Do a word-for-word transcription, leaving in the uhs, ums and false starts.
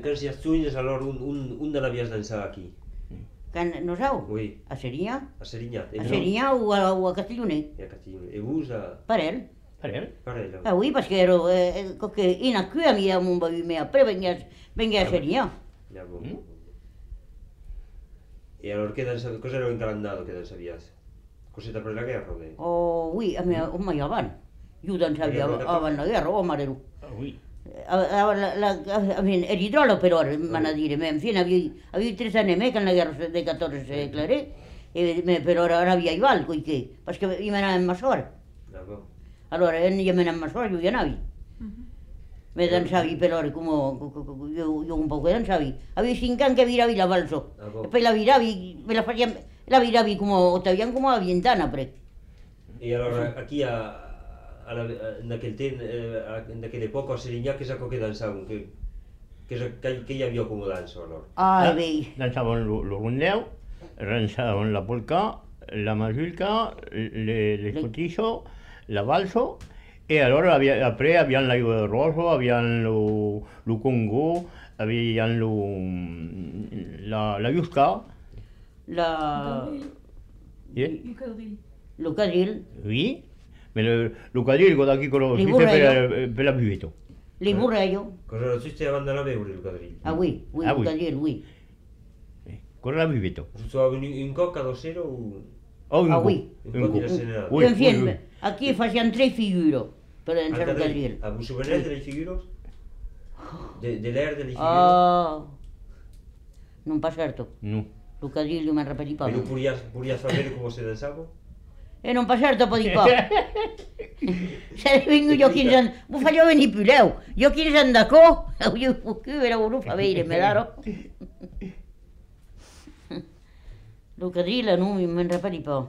Que si els tunyes, alhora un, un, un de l'avies dansar aquí. Can no sabeu? Oui, A Serinyà? a Serinyà. A Serinyà o a, o a Castelloner? E a Castiglione. E vos a... Parel. Parel? Parella. Ah oui, parce que ero, eh, che in a qui a mia mon bavi me après venga venga a Serinyà. Ja, bon, Mm. bon, bon. E allora che dansa, cosa ero incalandado che dansavias? Cosetta per la guerra o che? Oh oui, a mia o mai avan. Io dansavi avan la guerra, o marelu. Ah oui. A la la a mia eridrolo però, man a dire, me fino avevi avevi tre anni me che la guerra de catorze clare e me però ora via i val che parce que io me ne masor. Ah, bon. Allora io me ne masor io navi. Me dansavi per ore come io, io un po' che dansavi. Avevi cinque anni che viravi la valso. Ah, bon. E poi la viravi, me la facían, la viravi come, te veían como a ventana pre. E allora aquí a... a la, a, en aquel ten, eh, a, en aquella època a Serinyà que saco que dansaven, que, que, que, que hi havia com a dansa allora? Ai, vei. Dansaven el rondeu, dansaven la polka, la mazurka, le, les cotillos, la valso, e allora havia, après habían la roso, habían lo, lo congo, habían lo, la, la yuska, La... ¿eh? Lo cadil, Oui, mais le, le quadrigo d'aquí quello Li si vorrei per, per la buveto. li burreio. Cosa lo tutti vanno a veure il quadriglio? Ah oui, oui, Ah, lo oui. cadil, oui. Con la buveto. Tu avevi in cocca lo sero o... Oh, Ah, oui. Un po' di la serenata. Oui, En oui, fin, oui. aquí facían tres figuros per dansar lo cadil. A vos souvenez de les figuros? De, de l'air de les figuros? Ah, non pa certo. No. Lo cadil io mi repeti pa. Pero podias, podias saber come se danzava? E non pa certo podi pa. Se vengo io quinze anni, mi facevo venire più leu. Io quinze anni da co, io qui era voluto fa vedere, me l'ero. Lo cadile non mi mi repeti pa.